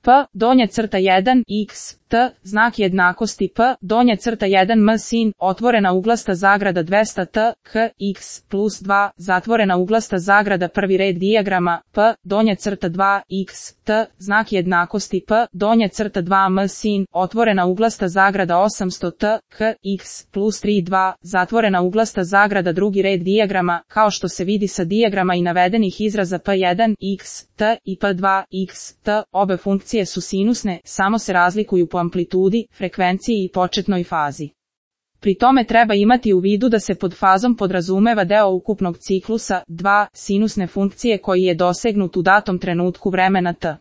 P, donja crta 1, x, t, znak jednakosti P, donja crta 1 m sin, otvorena uglasta zagrada 200 t, k, x, plus 2, zatvorena uglasta zagrada prvi red dijagrama, P, donja crta 2, x, t, znak jednakosti P, donja crta 2 m sin, otvorena uglasta zagrada 800 t, k, x, plus 3, 2, zatvorena uglasta zagrada drugi red dijagrama, kao što se vidi sa dijagrama i navedenih izraza P1, x, t i P2, x, t, obe funkcije su sinusne, samo se razlikuju po amplitudi, frekvenciji i početnoj fazi. Pri tome treba imati u vidu da se pod fazom podrazumeva deo ukupnog ciklusa, 2, sinusne funkcije koji je dosegnut u datom trenutku vremena t.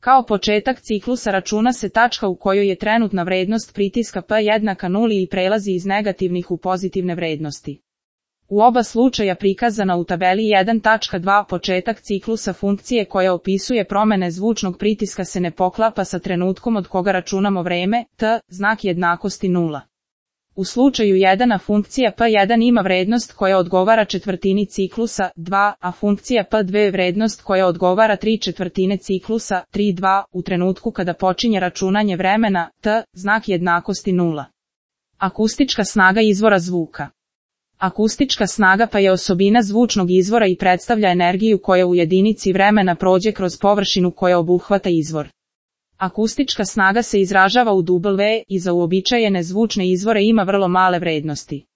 Kao početak ciklusa računa se tačka u kojoj je trenutna vrednost pritiska P jednaka nuli i prelazi iz negativnih u pozitivne vrednosti. U oba slučaja prikazana u tabeli 1.2 početak ciklusa funkcije koja opisuje promene zvučnog pritiska se ne poklapa sa trenutkom od koga računamo vreme, t, znak jednakosti 0. U slučaju 1 funkcija P1 ima vrednost koja odgovara četvrtini ciklusa, 2, a funkcija P2 vrednost koja odgovara 3/4 ciklusa, 3,2, u trenutku kada počinje računanje vremena, t, znak jednakosti 0. Akustička snaga izvora zvuka. Akustička snaga pa je osobina zvučnog izvora i predstavlja energiju koja u jedinici vremena prođe kroz površinu koja obuhvata izvor. Akustička snaga se izražava u W i za uobičajene zvučne izvore ima vrlo male vrednosti.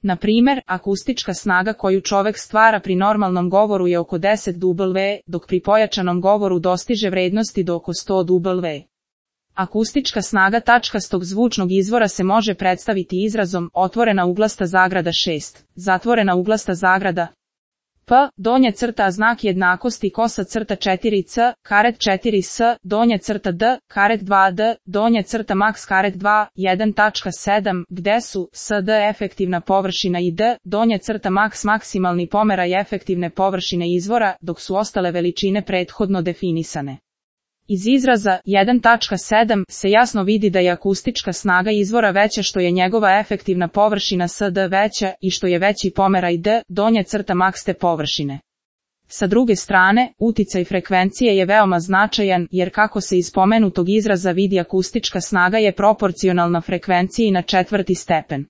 Na primjer, akustička snaga koju čovek stvara pri normalnom govoru je oko 10 W, dok pri pojačanom govoru dostiže vrednosti do oko 100 W. Akustička snaga tačkastog zvučnog izvora se može predstaviti izrazom otvorena uglasta zagrada 6, zatvorena uglasta zagrada P, donja crta znak jednakosti kosa crta 4c, karet 4s, donja crta d, karet 2d, donja crta max karet 2, 1.7, gde su SD efektivna površina i d, donja crta max maksimalni pomeraj efektivne površine izvora, dok su ostale veličine prethodno definisane. Iz izraza 1.7 se jasno vidi da je akustička snaga izvora veća što je njegova efektivna površina SD veća i što je veći pomeraj d, donja crta max te površine. Sa druge strane, uticaj frekvencije je veoma značajan jer kako se iz spomenutog izraza vidi akustička snaga je proporcionalna frekvenciji na četvrti stepen.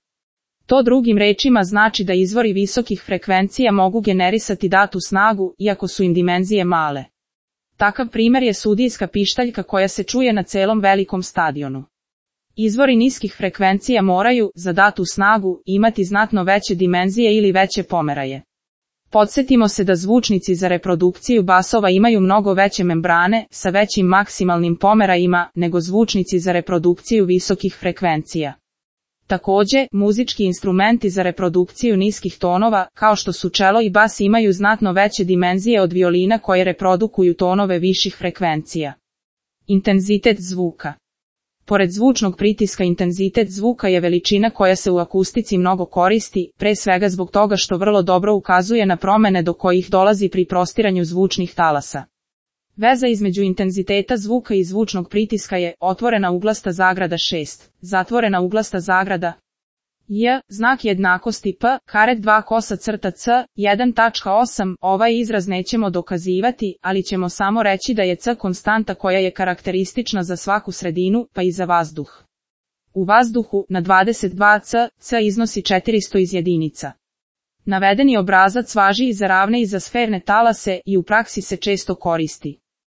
To drugim rečima znači da izvori visokih frekvencija mogu generisati datu snagu iako su im dimenzije male. Takav primjer je sudijska pištaljka koja se čuje na celom velikom stadionu. Izvori niskih frekvencija moraju, za datu snagu, imati znatno veće dimenzije ili veće pomeraje. Podsjetimo se da zvučnici za reprodukciju basova imaju mnogo veće membrane, sa većim maksimalnim pomerajima, nego zvučnici za reprodukciju visokih frekvencija. Takođe, muzički instrumenti za reprodukciju niskih tonova, kao što su čelo i bas imaju znatno veće dimenzije od violina koje reprodukuju tonove viših frekvencija. Intenzitet zvuka. Pored zvučnog pritiska intenzitet zvuka je veličina koja se u akustici mnogo koristi, pre svega zbog toga što vrlo dobro ukazuje na promene do kojih dolazi pri prostiranju zvučnih talasa. Veza između intenziteta zvuka i zvučnog pritiska je otvorena uglasta zagrada 6, zatvorena uglasta zagrada J, znak jednakosti P, karet 2 kosa crta C, 1.8, ovaj izraz nećemo dokazivati, ali ćemo samo reći da je C konstanta koja je karakteristična za svaku sredinu, pa i za vazduh. U vazduhu, na 22 C, C iznosi 400 iz jedinica. Navedeni obrazac važi i za ravne i za sferne talase i u praksi se često koristi.